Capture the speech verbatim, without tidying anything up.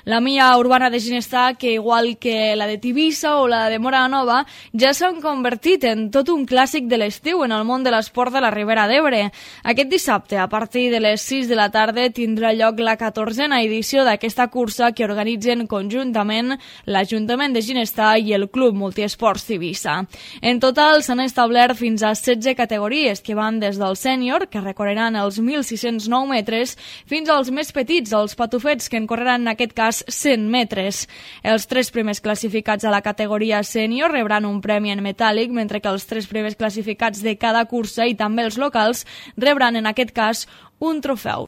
La Milla Urbana de Ginestar, que igual que la de Tivissa o la de Móra la Nova, ja s'han convertit en tot un clàssic de l'estiu en el món de l'esport de la Ribera d'Ebre. Aquest dissabte, a partir de les sis de la tarda, tindrà lloc la catorzena edició d'aquesta cursa que organitzen conjuntament l'Ajuntament de Ginestar i el Club Multiesports Tivissa. En total s'han establert fins a setze categories que van des del sènior, que recorreran els mil sis-cents nou metres, fins als més petits, els patufets, que en correran en aquest cas cent metres. Els tres primers classificats a la categoria sènior rebran un premi en metàl·lic, mentre que els tres primers classificats de cada cursa i també els locals rebran en aquest cas un trofeu.